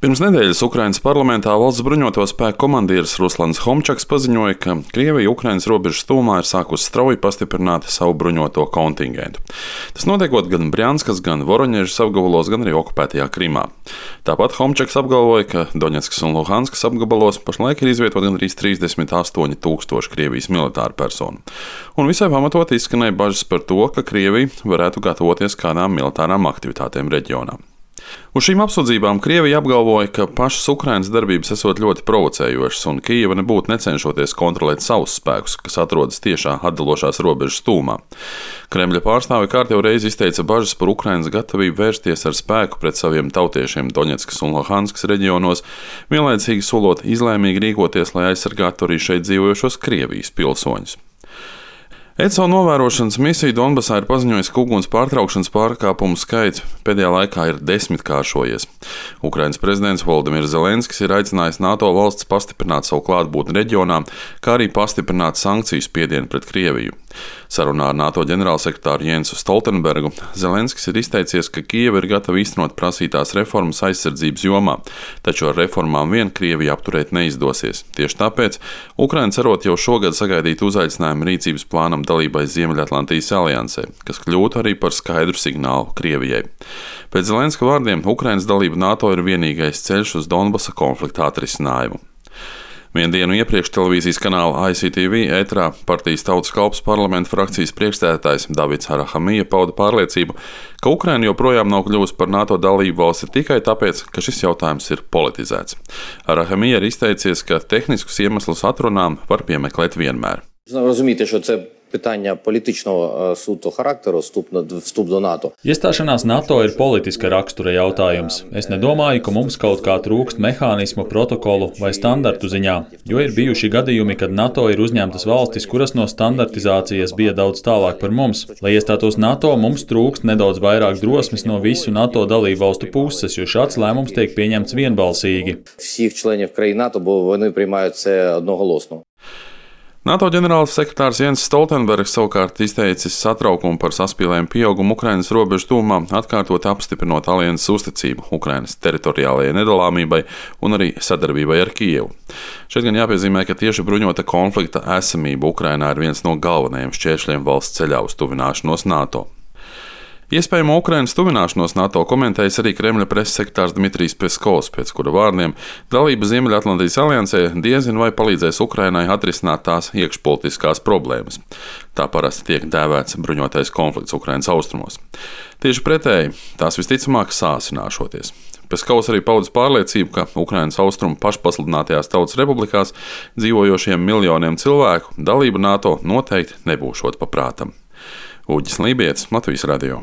Pirms nedēļas Ukrainas parlamentā valsts bruņoto spēku komandieris Ruslans Homčaks paziņoja, ka Krievija Ukrainas robežas tūmā ir sākusi strauji pastiprināt savu bruņoto kontingentu. Tas notiekot gan Brjanskas, gan Voroņežas apgabalos, gan arī okupētajā Krimā. Tāpat Homčaks apgalvoja, ka Doņetskas un Luhanskas apgabalos pašlaik ir izvietot gandrīz 38,000 Krievijas militāru personu. Un visai pamatot izskanēja bažas par to, ka Krievija varētu gatavoties kādām militārām aktivitātēm reģionā. Uz šīm apsūdzībām Krievija apgalvoja, ka pašas Ukrainas darbības esot ļoti provocējošas un Kijeva nebūtu necenšoties kontrolēt savus spēkus, kas atrodas tiešā atdalošās robežas tūmā. Kremļa pārstāve kārtējo reizi izteica bažas par Ukrainas gatavību vērsties ar spēku pret saviem tautiešiem Doņetskas un Luhanskas reģionos, vienlaicīgi solot izlēmīgi rīkoties, lai aizsargātu arī šeit dzīvojošos Krievijas pilsoņus. ECO novērošanas misija Donbasā ir paziņojusi, ka uguns pārtraukšanas pārkāpumu skaits pēdējā laikā ir 10-kāršojies. Ukrainas prezidents Volodimirs Zelenskis ir aicinājis NATO valsts pastiprināt savu klātbūtni reģionā, kā arī pastiprināt sankciju spiedienu pret Krieviju. Sarunā ar NATO ģenerālsekretāru Jensu Stoltenbergu Zelenskis ir izteicies, ka Kijeva ir gatava īstenot prasītās reformas aizsardzības jomā, taču ar reformām vien Krieviju apturēt neizdosies. Tieši tāpēc Ukraina cerot jau šogad sagaidīt uzaicinājumu rīcības plānam dalībai Ziemeļatlantijas aliansē, kas kļūtu arī par skaidru signālu Krievijai. Pēc Zelenska vārdiem Ukrainas dalība NATO ir vienīgais ceļš uz Donbasa konflikta atrisinājumu. Vienu dienu iepriekš televīzijas kanāla ICTV ēterā partijas Tautas kalps parlamenta frakcijas priekšsēdētājs Davids Arahamija pauda pārliecību, ka Ukraina joprojām nav kļuvusi par NATO dalību valsti tikai tāpēc, ka šis jautājums ir politizēts. Arahamija ir izteicies, ka tehniskus iemeslus atrunām var piemeklēt vienmēr. Розумієте, що це питання політичного суто характеру, вступ до НАТО. Iestāšanās NATO ir politiska rakstura jautājums. Es nedomāju, ka mums kaut kā trūkst mehānismu, protokolu vai standartu ziņā, jo ir bijuši gadījumi, kad NATO ir uzņemtas valstis, kuras no standartizācijas bija daudz tālāk par mums. Lai iestātos NATO, mums trūkst nedaudz vairāk drosmes no visu NATO dalību valstu puses, jo šāds lēmums tiek pieņemts vienbalsīgi. Всіх членів країн НАТО, бо вони приймають це одноголосно. NATO ģenerāls sekretārs Jens Stoltenbergs savukārt izteicis satraukumu par saspīlējumu pieaugumu Ukrainas robežu tūmā, atkārtot apstiprinot alianses uzticību Ukrainas teritoriālajai nedalāmībai un arī sadarbībai ar Kijevu. Šeit gan jāpiezīmē, ka tieši bruņota konflikta esamība Ukrainā ir viens no galvenajiem šķēršļiem valsts ceļā uz tuvināšanos NATO. Iespējamo Ukrainas tuvināšanos NATO komentējis arī Kremļa preses sekretārs Dmitrijs Peskovs, pēc kura vārdiem dalība Ziemeļatlantijas aliansē diezin vai palīdzēs Ukrainai atrisināt tās iekšpolitiskās problēmas. Tā parasti tiek dēvēts bruņotais konflikts Ukrainas austrumos. Tieši pretēji, tās visticamāk sāsināšoties. Peskovs arī paudis pārliecību, ka Ukrainas austrumu pašpasludinātajās tautas republikās dzīvojošiem miljoniem cilvēku dalība NATO noteikti nebūšot pa prātam. Uģis Lībietis, Latvijas radio.